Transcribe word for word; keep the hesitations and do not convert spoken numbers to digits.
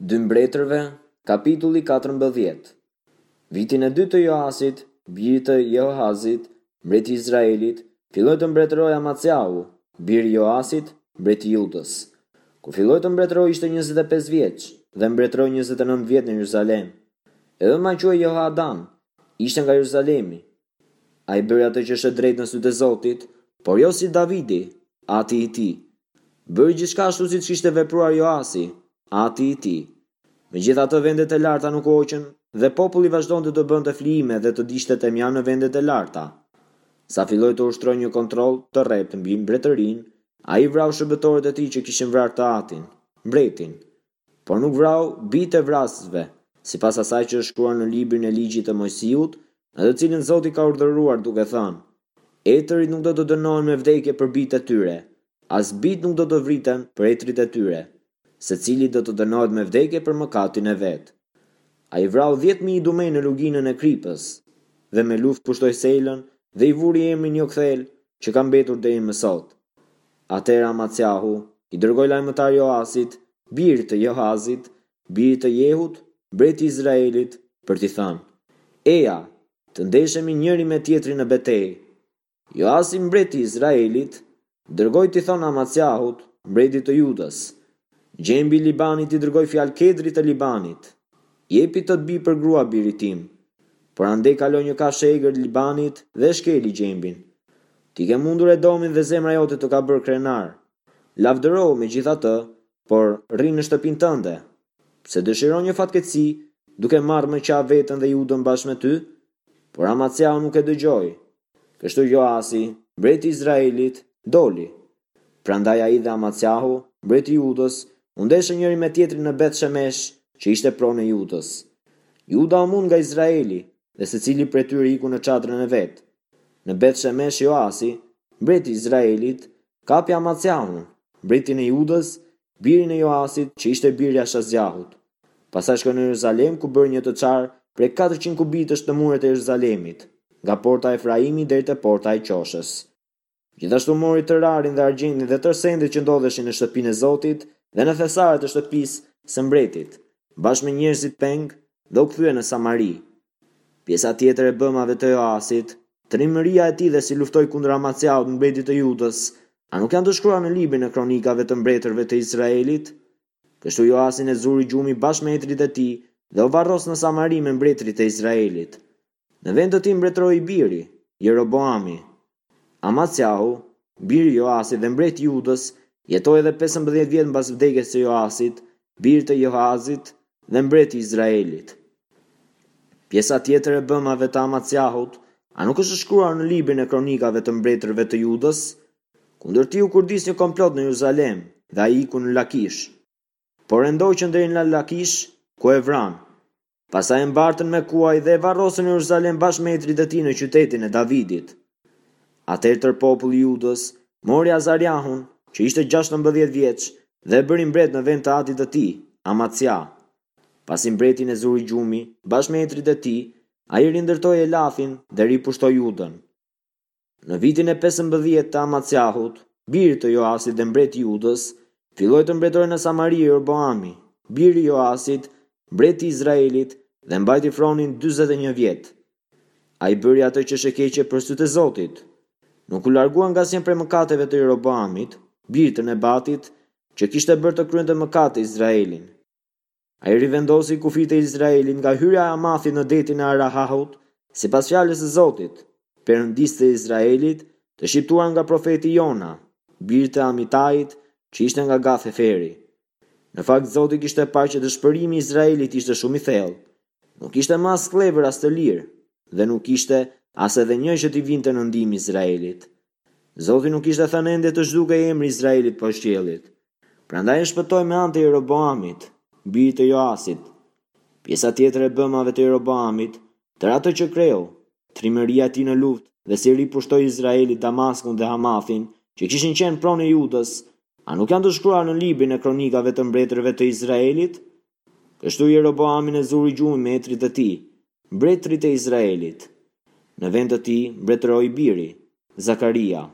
Dy Mbretërve, kapitulli katërmbëdhjetë. Vitin e dytë të Joasit, birit të Jehoahazit, mbreti i Izraelit, filloi të mbretërojë Amaciahu, biri i Joasit, mbreti i Judës. Kur filloi të mbretërojë ishte njëzet e pesë vjeç dhe mbretëroi njëzet e nëntë vjet në Jeruzalem. E ëma quhej Jehoadan, ishte nga Jeruzalemi. Ai bëri atë që është e drejtë në sytë e Zotit, por jo si Davidi, ati i tij. Bëri gjithçka ashtu siç kishte vepruar Joasi, ati i tij. Megjithatë vendet e larta nuk u hoqën dhe populli vazhdonte të bënte flijime dhe të digjte temjan në vendet e larta. Sa filloi të ushtrojë një kontroll të rreptë mbi mbretërinë, ai vrau shërbëtorët e tij që kishin vrarë të atin, mbretin. Por nuk vrau bijtë e vrasësve, sipas asaj që është shkruar në librin e ligjit të Moisiut, në të cilin Zoti ka urdhëruar duke thënë: Etërit nuk do të dënohen me vdekje për bijtë e tyre, as bijtë nuk do të vriten për etërit e tyre. Secili do të dënohet me vdekje për mëkatin e vet. Ai vrau dhjetë mijë idumej në luginën e Kripës, dhe me luftë pushtoi Selën dhe i vuri emrin Jokthel, që ka mbetur deri më sot. Atëherë Amaciahu i dërgoi lajmëtar Joasit, birit të Jehoazit, birit të Jehut, mbreti i Izraelit, për t'i thënë: Eja, të ndeshemi njëri me tjetrin në betejë. Joasi, mbreti i Izraelit, dërgoi t'i thonë Amaciahut, mbretit të Judës: Gjembi i Libanit i dërgoi fjalë kedrit të Libanit: Jepi tët bijë për grua birit tim. Por andej kaloi një kafshë e egër Libanit dhe e shkeli gjembin. Ti ke mundur Edomin dhe zemra jote të ka bërë krenar. Lavdërohu megjithatë, por rri në shtëpinë tënde. Pse dëshiron një fatkeqësi, duke marrë më qafë veten dhe Judën bashkë me ty? Por Amaciahu nuk e dëgjoi. Kështu Joasi, mbreti i Izraelit, doli. Prandaj ai dhe Amaciahu, mbreti i Judës, u ndeshën njëri me tjetrin në Beth Shemesh, që ishte pronë e Judës. Juda u mund nga Izraeli, dhe secili prej tyre iku në çadrën e vet. Në Beth Shemesh Joasi, mbreti i Izraelit, kapi Amaciahun, mbretin e Judës, birin e Joasit, që ishte biri i Ashazjahut. Pastaj shkoi në Jeruzalem, ku bëri një të çarë prej katërqind kubitësh në muret e Jeruzalemit, nga porta e Efraimit deri te porta e Qoshës. Gjithashtu mori tërë arin dhe argjendin dhe tërë sendet që ndodheshin në shtëpinë e Zotit dhe në thesaret e shtëpisë së mbretit, bashkë me njerëzit peng, dhe u kthye në Samari. Pjesa tjetër e bëmave të Joasit, trimëria e tij dhe si luftoi kundër Amaciahut, mbretit të Judës, a nuk janë të shkruar në librin e kronikave të mbretërve të Izraelit? Kështu Joasin e zuri gjumi bashkë me etërit e tij dhe u varros në Samari me mbretërit e Izraelit. Në vend të tij mbretëroi i biri, Jeroboami. Amaciahu, biri i Joasit dhe mbreti i Judës, jetoi edhe pesëmbëdhjetë vjet mbas vdekjes së Joasit, birit të Jehoazit dhe mbreti i Izraelit. Pjesa tjetër e bëmave të Amaciahut, a nuk është shkruar në librin e kronikave të mbretërve të Judës? Kundër tij u kurdis një komplot në Jeruzalem dhe ai iku në Lakish. Por e ndoqën deri në Lakish, ku e vranë. Pastaj e mbartën me kuaj dhe e varrosën në Jeruzalem bashkë me etërit e tij në qytetin e Davidit. Atëherë tërë populli i Judës mori Azariahun, që ishte gjashtëmbëdhjetë vjeç, dhe e bëri mbret në vend të atit të tij, Amacia. Pasi mbretin e zuri gjumi, bashkë me etërit e tij, ai rindërtoi Elathin dhe ripushtoi Judën. Në vitin e pesëmbëdhjetë të Amaciahut, birit të Joasit dhe mbreti i Judës, filloi të mbretërojë në Samari Jeroboami, biri i Joasit, mbreti i Izraelit, dhe mbajti fronin dyzet e një vjet. Ai bëri atë që është e keqe për sytë e Zotit. Nuk u largua nga asnjë prej mëkateve të Jeroboamit, birit të Nebatit, që kishte bërë të kryente mëkate Izraelin. Ai rivendosi kufijtë e Izraelit nga hyrja e Hamathit në detin e Arahahut, sipas fjalës së Zotit, Perëndisë të Izraelit, të shqiptuar nga profeti Jona, birit të Amitait, që ishte nga Gath Heferi. Në fakt Zoti kishte parë që dëshpërimi i Izraelit ishte shumë i thellë. Nuk ishte më as skllevër as të lirë, dhe nuk ishte as edhe një që t'i vinte në ndihmë Izraelit. Zoti nuk kishte thënë ende të zhdukej emri i Izraelit poshtë qiellit. Prandaj e shpëtoi me anë të Jeroboamit, birit të Joasit. Pjesa tjetër e bëmave të Jeroboamit, tërë atë që kreu, trimëria e tij në luftë dhe si ripushtoi Izraeli Damaskun dhe Hamathin, që kishin qenë pronë e Judës, a nuk janë të shkruar në librin e kronikave të mbretërve të Izraelit? Kështu Jeroboamin e zuri gjumi me etërit e tij, mbretërit e Izraelit. Në vend të tij mbretëroi biri, Zakaria.